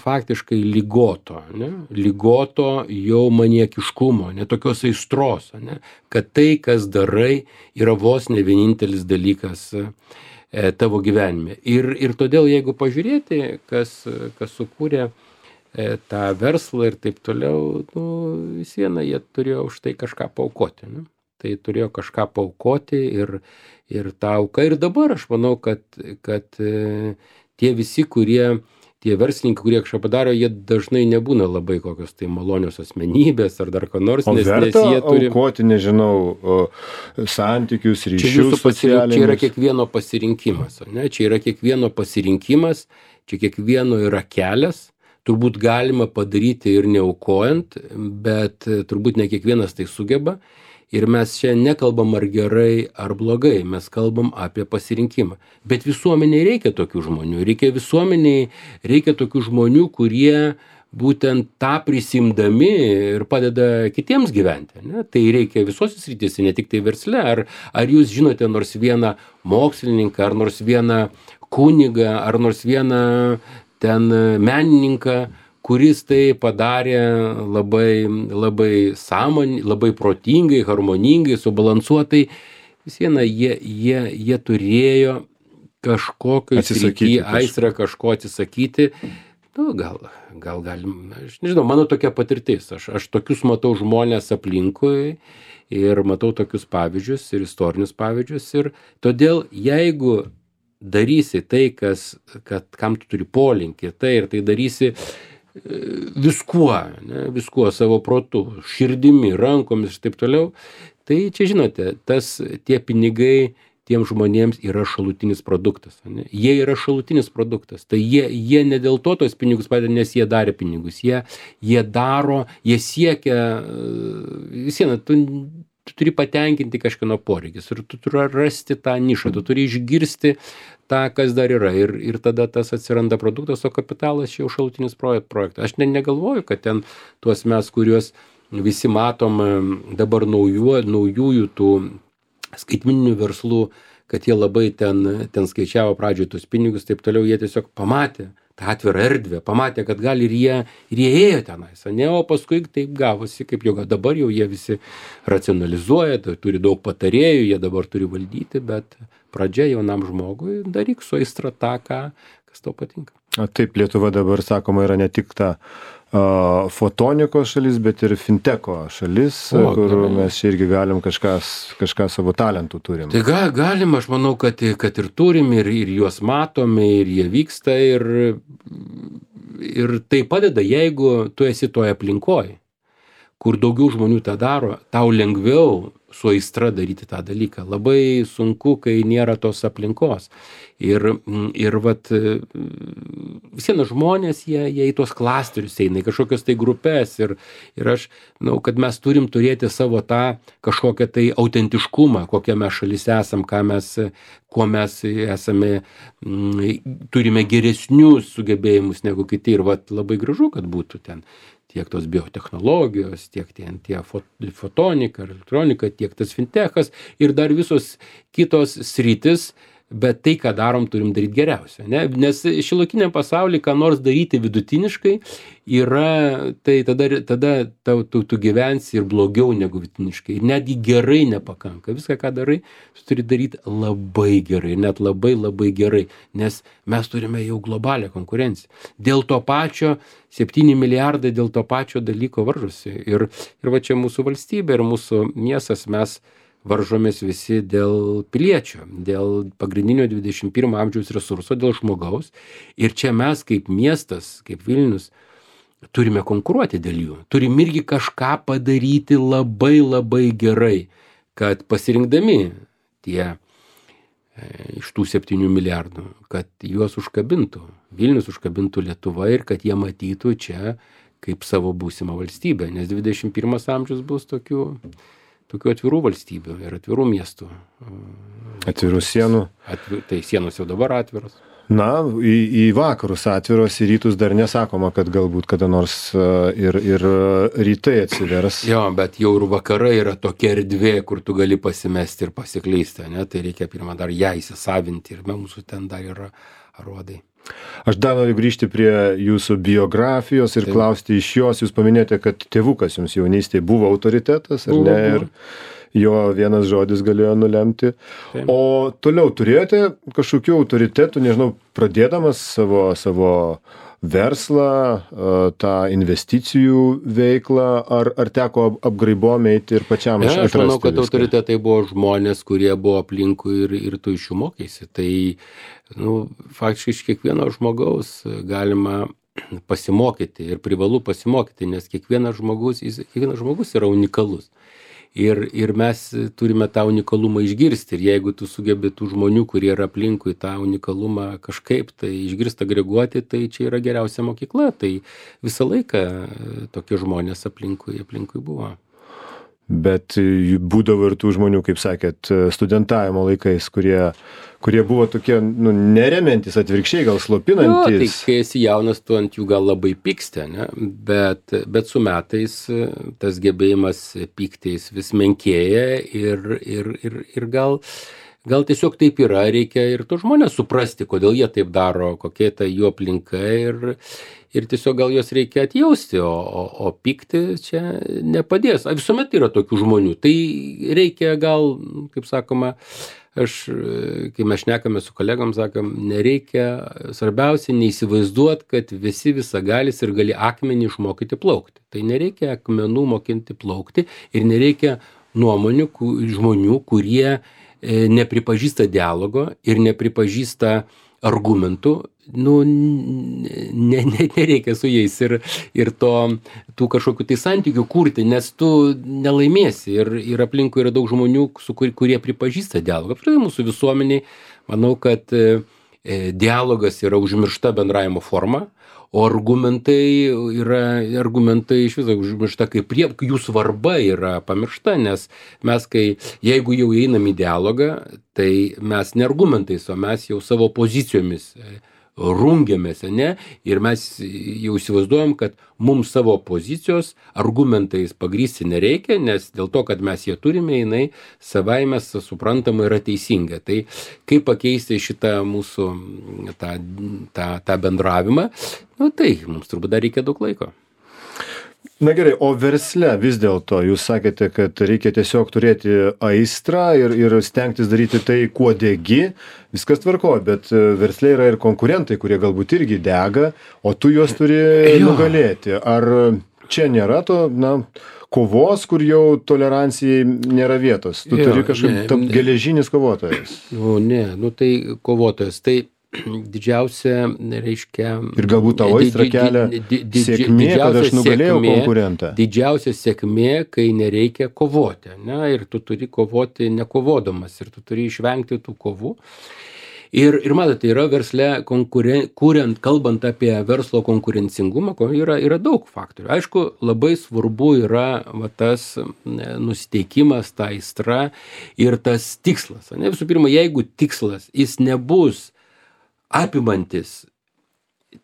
faktiškai lygoto jau maniekiškumo, tokios aistros, kad tai, kas darai, yra vos ne vienintelis dalykas tavo gyvenime. Ir todėl, jeigu pažiūrėti, kas sukūrė tą verslą ir taip toliau, vis viena, jie turėjo už tai kažką paaukoti. Tai turėjo kažką paaukoti ir tą auką. Ir dabar aš manau, kad tie visi, tie verslininkai, kurie kažką padaro, jie dažnai nebūna labai kokios tai malonios asmenybės ar dar ko nors. O verta aukoti, nežinau, santykius, ryšius socialinius? Čia yra kiekvieno pasirinkimas. Čia yra kiekvieno pasirinkimas, čia kiekvieno yra kelias. turbūt galima padaryti ir neaukojant, bet turbūt ne kiekvienas tai sugeba. Ir mes čia nekalbam ar gerai, ar blogai, mes kalbam apie pasirinkimą. Bet visuomeniai reikia tokių žmonių, reikia tokių žmonių, kurie būtent tą prisimdami ir padeda kitiems gyventi. Ne? Tai reikia visose srityse, ne tik tai versle. Ar jūs žinote nors vieną mokslininką, ar nors vieną kunigą, ar nors vieną ten menininką, kuris tai padarė labai labai protingai, harmoningai, subalansuotai. Vis viena, jie turėjo kažkokio aistrą kažko atsisakyti. Nu, gal galim, aš nežinau, mano tokia patirtis. Aš tokius matau žmonės aplinkui ir matau tokius pavyzdžius ir istorinius pavyzdžius. Ir todėl, jeigu darysi tai, kam tu turi polinkį, ir tai darysi viskuo savo protu, širdimi, rankomis ir taip toliau, tai čia žinote, tie pinigai tiem žmonėms yra šalutinis produktas. Ne? Jie yra šalutinis produktas. Tai jie ne dėl to tos pinigus padeda, nes jie darė pinigus. Jie daro, jie siekia, visieną, tu turi patenkinti kažkieno poreikis ir tu turi rasti tą nišą, tu turi išgirsti tą, kas dar yra ir tada tas atsiranda produktas, o kapitalas jau šalutinis projektas. Aš negalvoju, kad ten tuos mes, kuriuos visi matom dabar naujųjų tų skaitmeninių verslų, kad jie labai ten skaičiavo pradžioje tuos pinigus, taip toliau, jie tiesiog pamatė tą atvirą erdvę, pamatė, kad gal ir jie ėjo tenais, ne, o paskui taip gavosi, kaip jau dabar jau jie visi racionalizuoja, turi daug patarėjų, jie dabar turi valdyti, bet pradžia jaunam žmogui daryk su aistra tą, kas tau patinka. Taip, Lietuva dabar, sakoma, yra ne tik ta fotonikos šalis, bet ir finteko šalis, kur mes irgi galim kažką savo talentų turim. Tai galim, aš manau, kad ir turim, ir juos matome, ir jie vyksta, ir tai padeda, jeigu tu esi toje aplinkoje, kur daugiau žmonių tą daro, tau lengviau su aistra daryti tą dalyką. Labai sunku, kai nėra tos aplinkos. Ir vat, visieną žmonės, jie į tuos klasterius eina, į kažkokias tai grupės. Ir aš manau, kad mes turim turėti savo tą kažkokią tai autentiškumą, kokią mes šalis esam, kuo mes esame, turime geresnius sugebėjimus negu kiti. Ir vat, labai gražu, kad būtų ten tiek tos biotechnologijos, tiek tie fotonika, elektronika, tiek tas fintechas ir dar visos kitos sritis, bet tai, ką darom, turim daryti geriausia. Ne? Nes šiuolaikiniam pasaulyje, ką nors daryti vidutiniškai, tai tada tu gyvensi ir blogiau negu vidutiniškai. Ir netgi gerai nepakanka. Viską, ką darai, tu turi daryti labai gerai, net labai labai gerai, nes mes turime jau globalią konkurenciją. Dėl to pačio 7 milijardai dėl to pačio dalyko varžosi. Ir va čia mūsų valstybė ir mūsų miestas, mes varžomės visi dėl piliečio, dėl pagrindinio 21 amžiaus resurso, dėl žmogaus. Ir čia mes kaip miestas, kaip Vilnius, turime konkuruoti dėl jų. Turim irgi kažką padaryti labai labai gerai, kad pasirinkdami iš tų 7 milijardų, kad juos užkabintų. Vilnius užkabintų Lietuvą ir kad jie matytų čia kaip savo būsimą valstybę. Nes 21 amžius bus tokių atvirų valstybių ir atvirų miestų. Atvirų sienų. Tai sienos jau dabar atviros. Na, į vakarus atviros, į rytus dar nesakoma, kad galbūt kada nors ir rytai atsivers. Jo, bet jau ir vakarai yra tokia erdvė, kur tu gali pasimesti ir pasiklysti, ne? Tai reikia pirmą dar ją įsisavinti ir mūsų ten dar yra aruodai. Aš dar noriu grįžti prie jūsų biografijos ir klausti iš jos. Jūs paminėjote, kad tėvukas jums jaunystėje buvo autoritetas, ar ne? Ir jo vienas žodis galėjo nulemti. Taip. O toliau turėjote kažkokių autoritetų, nežinau, pradėdamas savo verslą, tą investicijų veiklą, ar teko apgraibom eiti ir pačiam atrasti viską? Aš manau, kad autoritetai buvo žmonės, kurie buvo aplinkui ir tu iš jų mokėsi. Tai faktiškai iš kiekvieno žmogaus galima pasimokyti ir privalu pasimokyti, nes kiekvienas žmogus yra unikalus. ir mes turime tą unikalumą išgirsti. Ir jeigu tu sugebi tų žmonių, kurie yra aplinkui, tą unikalumą kažkaip tai išgirsti, agreguoti, tai čia yra geriausia mokykla. Tai visą laiką tokie žmonės aplinkui buvo. Bet būdavo ir tų žmonių, kaip sakėt, studentavimo laikais, kurie buvo tokie, neremiantis, atvirkščiai, gal slopinantis. Tai kai esi jaunas, tu ant jų gal labai pyksti, ne? Bet su metais tas gebėjimas pyktis vis menkėja ir gal tiesiog taip yra, reikia ir tų žmonės suprasti, kodėl jie taip daro, kokia ta jų aplinka ir tiesiog gal jos reikia atjausti, o pykti čia nepadės. Visuomet yra tokių žmonių. Tai reikia gal, kaip sakoma, kai mes šnekame su kolegom, sakom, nereikia, svarbiausia neįsivaizduoti, kad visi visagalis ir gali akmenį išmokyti plaukti. Tai nereikia akmenų mokinti plaukti ir nereikia nuomonių žmonių, kurie nepripažįsta dialogo ir nepripažįsta argumentų, nereikia su jais ir tų kažkokių tai santykių kurti, nes tu nelaimėsi ir aplinkui yra daug žmonių, kurie pripažįsta dialogą. Apskritai mūsų visuomeniai, manau, kad dialogas yra užmiršta bendravimo forma, o argumentai iš viso užmiršta, jų svarba yra pamiršta, nes mes, jeigu jau einam į dialogą, tai mes ne argumentais, o mes jau savo pozicijomis rungiamės, ne? Ir mes jau įsivaizduojam, kad mums savo pozicijos argumentais pagrįsti nereikia, nes dėl to, kad mes jie turime, jinai savaime suprantama yra teisinga. Tai kaip pakeisti šitą mūsų tą bendravimą, tai mums turbūt dar reikia daug laiko. Na gerai, o versle vis dėlto jūs sakėte, kad reikia tiesiog turėti aistrą ir stengtis daryti tai, kuo degi, viskas tvarko, bet versle yra ir konkurentai, kurie galbūt irgi dega, o tu juos turi nugalėti. Ar čia nėra to, kovos, kur jau tolerancijai nėra vietos? Tu turi kažkaip tapti geležinis kovotojas. Tai kovotojas. Tai didžiausia, reiškia... Ir galbūt tavo aistra kelia sėkmė, kad aš nugalėjau konkurentą. Didžiausia sėkmė, kai nereikia kovoti, ne? Ir tu turi kovoti nekovodamas, ir tu turi išvengti tų kovų. Ir matote, yra versle, kalbant apie verslo konkurencingumą, yra daug faktorių. Aišku, labai svarbu yra tas nusiteikimas, ta aistra ir tas tikslas. Ne? Visų pirma, jeigu tikslas, jis nebus apimantis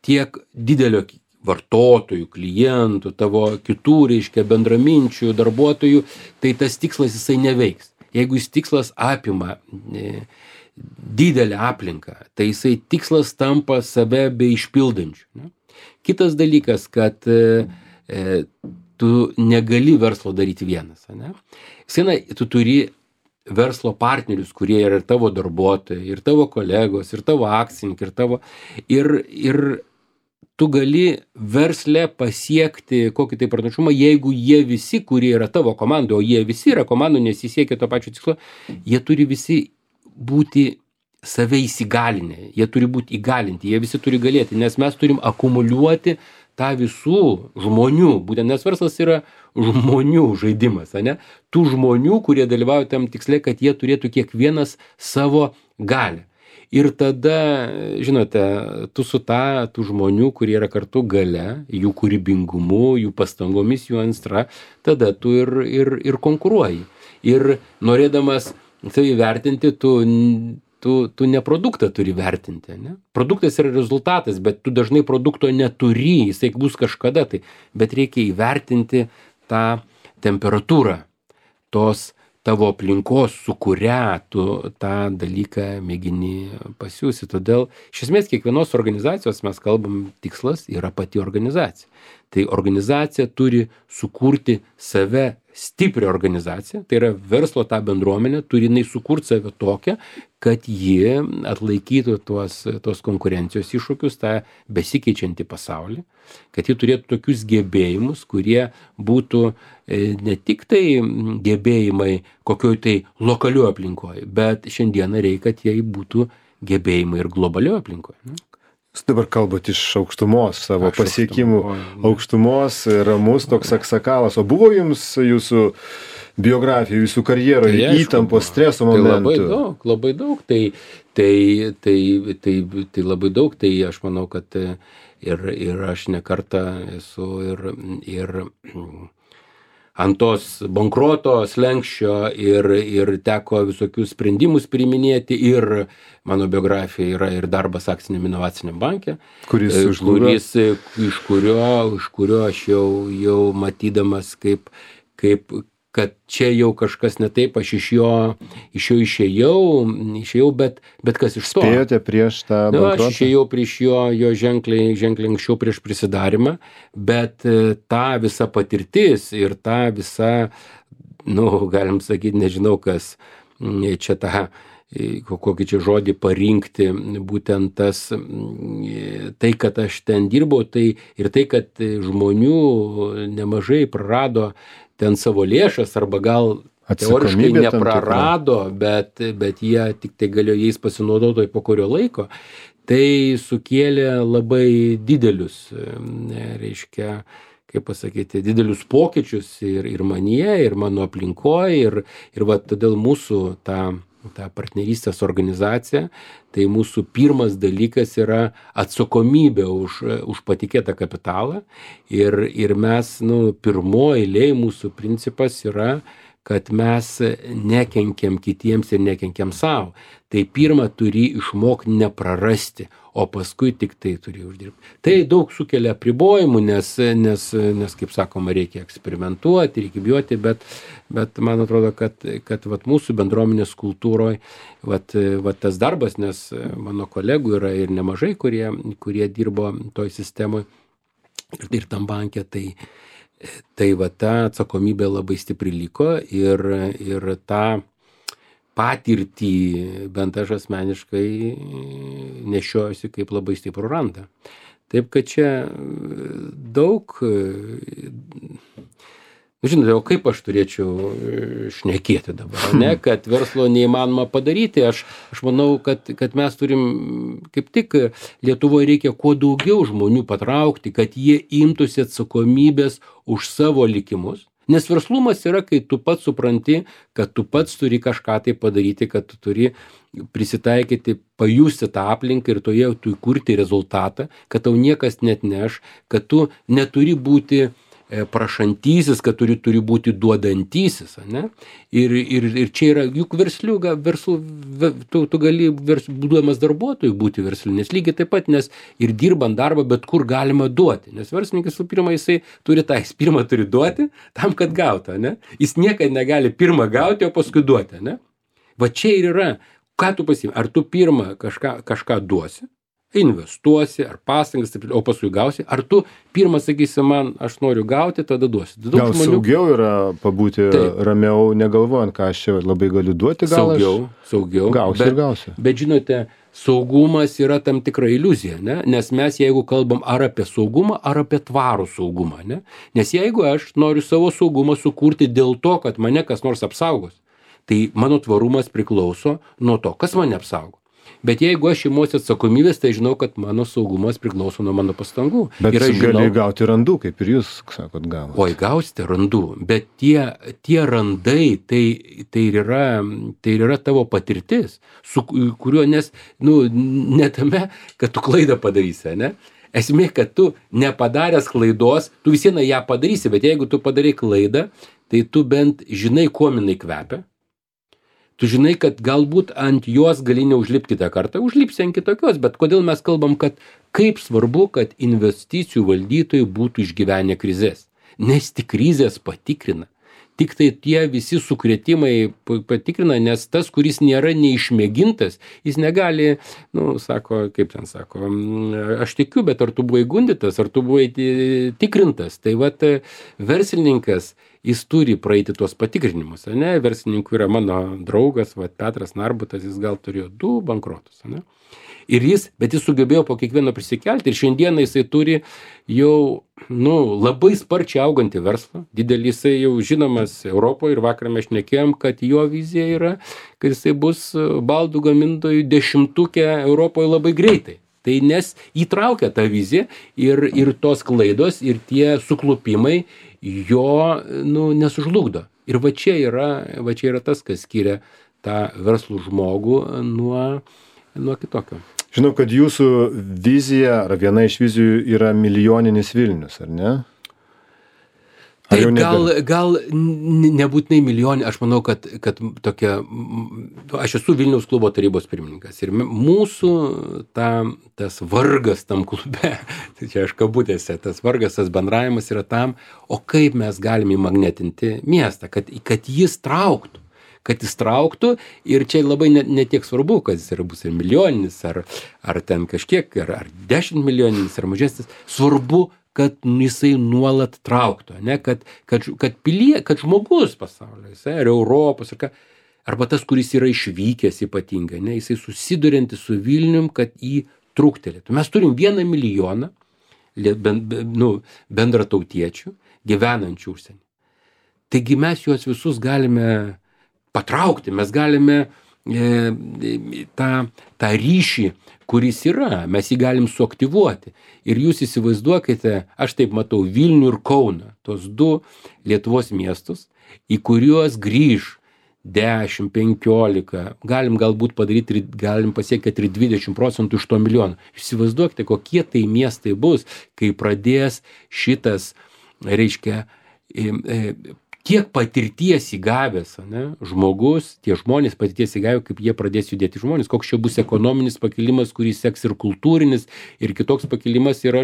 tiek didelio vartotojų, klientų, tavo kitų, reiškia, bendraminčių, darbuotojų, tai tas tikslas jisai neveiks. Jeigu jis tikslas apima didelę aplinką, tai jisai tikslas tampa save beišpildančiu. Ne? Kitas dalykas, kad tu negali verslo daryti vienas. Ne? Tu turi verslo partnerius, kurie yra ir tavo darbuotojai, ir tavo kolegos, ir tavo akcininkai, ir tu gali versle pasiekti kokį tai pranašumą, jeigu jie visi, kurie yra tavo komandai, o jie visi yra komandų, nes jie siekia to pačio tikslo, jie turi visi būti save įsigalinę, jie turi būti įgalinti, jie visi turi galėti, nes mes turim akumuliuoti tą visų žmonių, būtent nes verslas yra žmonių žaidimas, ne? Tų žmonių, kurie dalyvauja tam tiksle, kad jie turėtų kiekvienas savo galią. Ir tada, žinote, tu su tų žmonių, kurie yra kartu gale, jų kūrybingumu, jų pastangomis, jų aistra, tada tu ir konkuruoji. Ir norėdamas savį vertinti, tu ne produktą turi vertinti, ne? Produktas yra rezultatas, bet tu dažnai produkto neturi, jisai bus kažkada tai, bet reikia įvertinti tą temperatūrą tos tavo aplinkos, su kuria tu tą dalyką mėgini pasiūsti. Todėl, iš esmės, kiekvienos organizacijos mes kalbam, tikslas yra pati organizacija. Tai organizacija turi sukurti save stiprią organizaciją, tai yra verslo tą bendruomenę, turi jinai sukurti save tokią, kad ji atlaikytų tos konkurencijos iššūkius, tą besikeičiantį pasaulį, kad ji turėtų tokius gebėjimus, kurie būtų ne tik tai gebėjimai kokioj tai lokalioj aplinkoje, bet šiandieną reikia, kad jie būtų gebėjimai ir globalioje aplinkoje. Jūs dabar kalbat iš aukštumos, savo pasiekimų aukštumos, ramus toks aksakalas. O buvo jums jūsų biografijoj, jūsų karjeroje, Tai aišku, įtampos, streso Tai momentų. labai daug. Tai labai daug. Tai aš manau, kad ir aš nekartą esu ir ant tos bankroto slenksčio ir teko visokius sprendimus priiminėti ir mano biografija yra ir darbas akciniam inovaciniam banke, Kuris žlugo. iš kurio aš jau matydamas kad čia jau kažkas ne taip, aš iš jo išėjau, bet kas iš to? Spėjote prieš tą bankrotą? Aš išėjau prieš jo ženkliai anksčiau prieš prisidarimą, bet ta visa patirtis ir ta visa, galim sakyti, nežinau kas, čia kokį čia žodį parinkti, būtent tai, kad aš ten dirbau, tai ir tai, kad žmonių nemažai prarado ten savo lėšas arba gal teoriškai neprarado, bet jie tik tai galėjo jais pasinaudoti po kurio laiko, tai sukėlė labai didelius, kaip pasakyti, didelius pokyčius ir manyje, ir mano aplinkoje, ir va todėl mūsų ta partnerystės organizacija, tai mūsų pirmas dalykas yra atsakomybė už patikėtą kapitalą ir mes, pirmoji eilėje mūsų principas yra, kad mes nekenkiam kitiems ir nekenkiam savo. Tai pirmą turi išmokti neprarasti, o paskui tik tai turi uždirbti. Tai daug sukelia apribojimų, nes kaip sakoma, reikia eksperimentuoti, reikia bijoti, bet man atrodo, kad vat mūsų bendruomenės kultūroje tas darbas, nes mano kolegų yra ir nemažai, kurie dirbo toj sistemoje ir tam banke, tai va ta atsakomybė labai stipri liko ir tą patirtį bent aš asmeniškai nešiojusi kaip labai stiprų randą. Taip, kad čia daug, žinote, o kaip aš turėčiau šnekėti dabar, ne, kad verslo neįmanoma padaryti, aš manau, kad mes turim, kaip tik Lietuvoje reikia kuo daugiau žmonių patraukti, kad jie imtųsi atsakomybės už savo likimus. Nes verslumas yra, kai tu pats supranti, kad tu pats turi kažką tai padaryti, kad tu turi prisitaikyti, pajusti tą aplinką ir toje tu kurti rezultatą, kad tau niekas net neš, kad tu neturi būti prašantysis, kad turi būti duodantysis, ne? Ir čia yra, juk tu gali būdamas darbuotojų būti versliu, nes lygiai taip pat, nes ir dirbant darbą, bet kur galima duoti, nes verslininkas pirmą jisai pirmą turi duoti, tam, kad gautų, ne? Jis niekada negali pirmą gauti, o paskui duoti, ne? Va čia ir yra, ką tu pasiimi, ar tu pirmą kažką duosi, investuosi, ar pastangas, o paskui gausi, ar tu pirmą sakysi man, aš noriu gauti, tada duosi. Gal saugiau yra pabūti ramiau, negalvojant, ką aš čia labai galiu duoti, gal saugiau. Gausi. Bet žinote, saugumas yra tam tikra iliuzija, ne? Nes mes jeigu kalbam ar apie saugumą, ar apie tvarų saugumą, ne? Nes jeigu aš noriu savo saugumą sukurti dėl to, kad mane kas nors apsaugos, tai mano tvarumas priklauso nuo to, kas mane apsaugo. Bet jeigu aš imuosi atsakomybės, tai žinau, kad mano saugumas priklauso nuo mano pastangų. Bet gali gauti randų, kaip ir jūs, sakot, gavote. Oi, gausite randų, bet tie randai, tai yra tavo patirtis, su kuriuo, nes, ne tame, kad tu klaidą padarysi, ne? Esmė, kad tu nepadaręs klaidos, tu vis viena ją padarysi, bet jeigu tu padarai klaidą, tai tu bent žinai, kuo jinai kvepia. Tu žinai, kad galbūt ant jos gali neužlipti kitą kartą, užlipsi ant kitokios, bet kodėl mes kalbam, kad kaip svarbu, kad investicijų valdytojai būtų išgyvenę krizės. Nes tik krizės patikrina. Tik tai tie visi sukrėtimai patikrina, nes tas, kuris nėra neišmėgintas, jis negali, sako, kaip ten sako, aš tikiu, bet ar tu buvai gundytas, ar tu buvai tikrintas. Tai vat verslininkas, jis turi praeiti tuos patikrinimus, ne? Verslininkų yra mano draugas, Petras Narbutas, jis gal turėjo 2 bankrotus, ne? Bet jis sugebėjo po kiekvieno prisikelti ir šiandieną jisai turi jau, labai sparčiai augantį verslą, didelį, jisai jau žinomas Europoje ir vakar mes šnekėjom, kad jo vizija yra, kad jisai bus baldų gamintojų 10-uke Europoje labai greitai. Tai nes įtraukia tą viziją ir tos klaidos ir tie suklupimai jo, nesužlugdo. Ir va čia yra tas, kas skiria tą verslų žmogų nuo kitokio. Žinau, kad jūsų vizija, ar viena iš vizijų yra milijoninis Vilnius, ar ne? Tai gal nebūtinai milijonė, aš manau, kad tokia, aš esu Vilniaus klubo tarybos pirmininkas ir mūsų tas vargas tam klube, tai čia aš kabutėse, tas vargas, tas bendravimas yra tam, o kaip mes galime įmagnetinti miestą, kad jis trauktų. Ir čia labai ne tiek svarbu, kad jis bus ir milijoninis, ar ten kažkiek, ar 10 milijoninis, ar mažesnis, svarbu, kad jisai nuolat trauktų, ne? Kad žmogus pasaulyje, ar Europos, arba tas, kuris yra išvykęs ypatingai, ne? Jisai susiduriantis su Vilnium, kad jį trūktelėtų. Mes turim 1 milijoną bendratautiečių gyvenančių užsienį. Taigi mes juos visus galime patraukti, mes galime tą ryšį, kuris yra, mes jį galim suaktyvuoti. Ir jūs įsivaizduokite, aš taip matau Vilnių ir Kauną, tos 2 Lietuvos miestus, į kuriuos grįž 10, 15, galim galbūt padaryti, galim pasiekti ir 20% iš to milijono. Įsivaizduokite, kokie tai miestai bus, kai pradės šitas, reiškia, kiek patirties įgavęs, ne, žmogus, tie žmonės patirties įgavę, kaip jie pradės judėti žmonės, koks čia bus ekonominis pakilimas, kuris seks ir kultūrinis, ir kitoks pakilimas, ir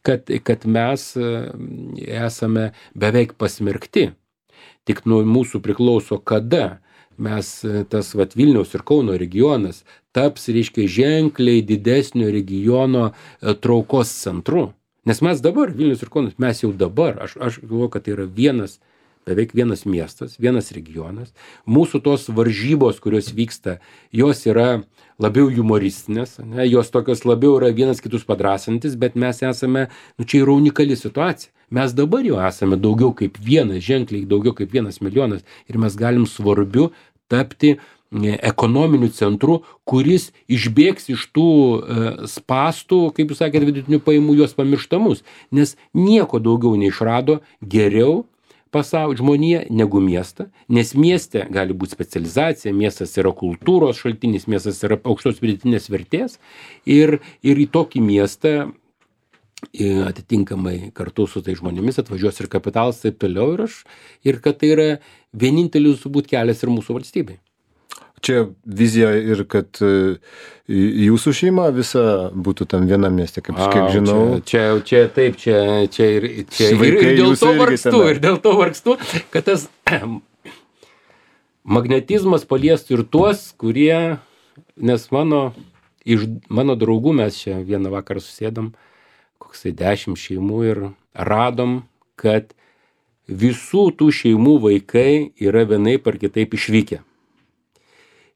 kad mes esame beveik pasmerkti. Tik nuo mūsų priklauso, kada mes tas Vilniaus ir Kauno regionas taps, reiškia, ženkliai didesnio regiono traukos centru. Nes mes dabar, Vilnius ir Kaunas, mes jau dabar, aš galvoju, kad tai yra beveik vienas miestas, vienas regionas. Mūsų tos varžybos, kurios vyksta, jos yra labiau humoristinės, ne? Jos tokios labiau yra vienas kitus padrasantis, bet mes esame, čia yra unikali situacija. Mes dabar jau esame daugiau kaip vienas, ženkliai daugiau kaip 1 milijonas ir mes galim svarbiu tapti ekonominiu centru, kuris išbėgs iš tų spastų, kaip jūs sakėte, vidutinių pajamų, juos pamirštamus. Nes nieko daugiau neišrado geriau pasaulio žmonija negu miestą, nes mieste gali būti specializacija, miestas yra kultūros šaltinis, miestas yra aukštos pridėtinės vertės ir į tokį miestą atitinkamai kartu su tai žmonėmis atvažiuos ir kapitalas taip toliau ir kad tai yra vienintelis būt kelias ir mūsų valstybei. Čia vizija ir kad jūsų šeima visa būtų tam vienam mieste, kiek žinau. Čia taip, čia ir dėl to vargstu, kad tas magnetizmas paliestų ir tuos, kurie, nes iš mano draugų mes čia vieną vakarą susėdom, koksai 10 šeimų ir radom, kad visų tų šeimų vaikai yra vienaip ar kitaip išvykę.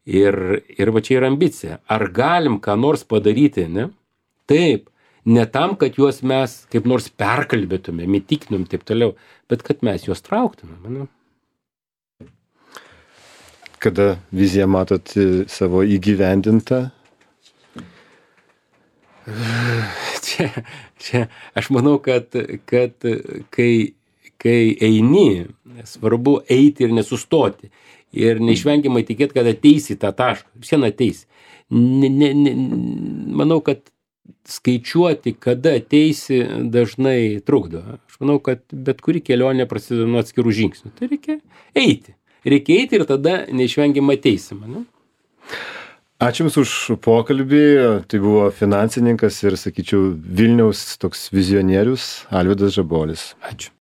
Ir va čia yra ambicija. Ar galim ką nors padaryti, ne? Taip, ne tam, kad juos mes kaip nors perkalbėtumėm, įtikinum taip toliau, bet kad mes juos trauktumėm, ne? Kada viziją matot savo įgyvendintą? Čia aš manau, kad kai eini, svarbu eiti ir nesustoti. Ir neišvengiamai tikėti, kad ateisi tą tašką. Vien ateisi. Manau, kad skaičiuoti, kada ateisi, dažnai trukdo. Aš manau, kad bet kuri kelionė prasideda nuo atskirų žingsnių. Tai reikia eiti. Ir tada neišvengiamai ateisim. Ne? Ačiū Jums už pokalbį. Tai buvo finansininkas ir, sakyčiau, Vilniaus toks vizionierius Alvydas Žabolis. Ačiū.